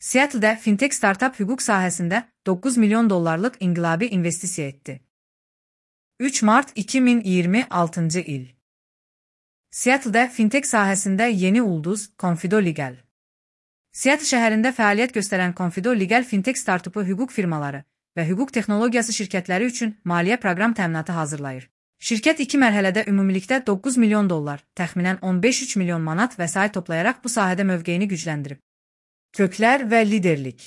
Seattle'da fintech startup hüquq sahəsində 9 milyon dollarlıq inqilabi investisiya etdi. 3 mart 2026 il. Seattle'da fintech sahəsində yeni ulduz Confido Legal. Seattle şəhərində fəaliyyət göstərən Confido Legal fintech startupu hüquq firmaları və hüquq texnologiyası şirkətləri üçün maliyyə proqram təminatı hazırlayır. Şirkət 2 mərhələdə ümumilikdə 9 milyon dollar, təxminən 15-3 milyon manat vəsait toplayaraq bu sahədə mövqeyini gücləndirib. Köklər və liderlik.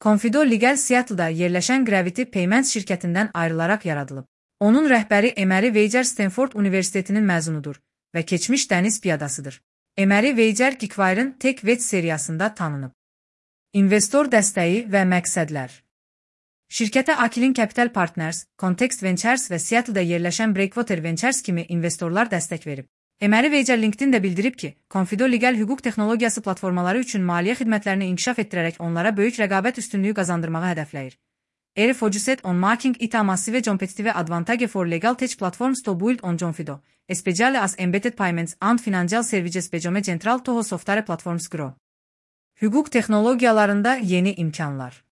Confido Legal Seattle'da yerləşən Gravity Payments şirkətindən ayrılaraq yaradılıb. Onun rəhbəri Emery Wager Stanford Universitetinin məzunudur və keçmiş dəniz piyadasıdır. Emery Wager Geekwire'ın TechVets seriyasında tanınıb. İnvestor dəstəyi və məqsədlər. Şirkətə Aquilin Capital Partners, Context Ventures və Seattle'da yerləşən Breakwater Ventures kimi investorlar dəstək verib. Emery Wager LinkedIn-də bildirib ki, Confido Legal hüquq texnologiyası platformaları üçün maliyyə xidmətlərini inkişaf etdirərək onlara böyük rəqabət üstünlüyü qazandırmağı hədəfləyir. Eri focuset on making it a massive competitive advantage for legal tech platforms to build on Confido, especially as embedded payments and financial services become central to software platforms grow. Hüquq texnologiyalarında yeni imkanlar.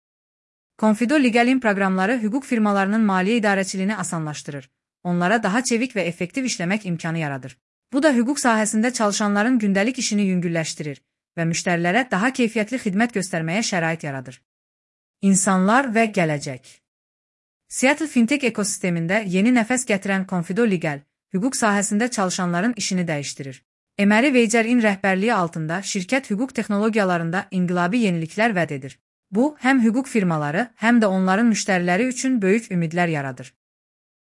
Confido Legal'in proqramları hüquq firmalarının maliyyə idarəçiliyini asanlaşdırır, onlara daha çevik və effektiv işləmək imkanı yaradır. Bu da hüquq sahəsində çalışanların gündəlik işini yüngülləşdirir və müştərilərə daha keyfiyyətli xidmət göstərməyə şərait yaradır. İnsanlar və gələcək. Seattle fintech ekosistemində yeni nəfəs gətirən Confido Legal, hüquq sahəsində çalışanların işini dəyişdirir. Emery Wager'in rəhbərliyi altında şirkət hüquq texnologiyalarında inqilabi yeniliklər vəd edir. Bu, həm hüquq firmaları, həm də onların müştəriləri üçün böyük ümidlər yaradır.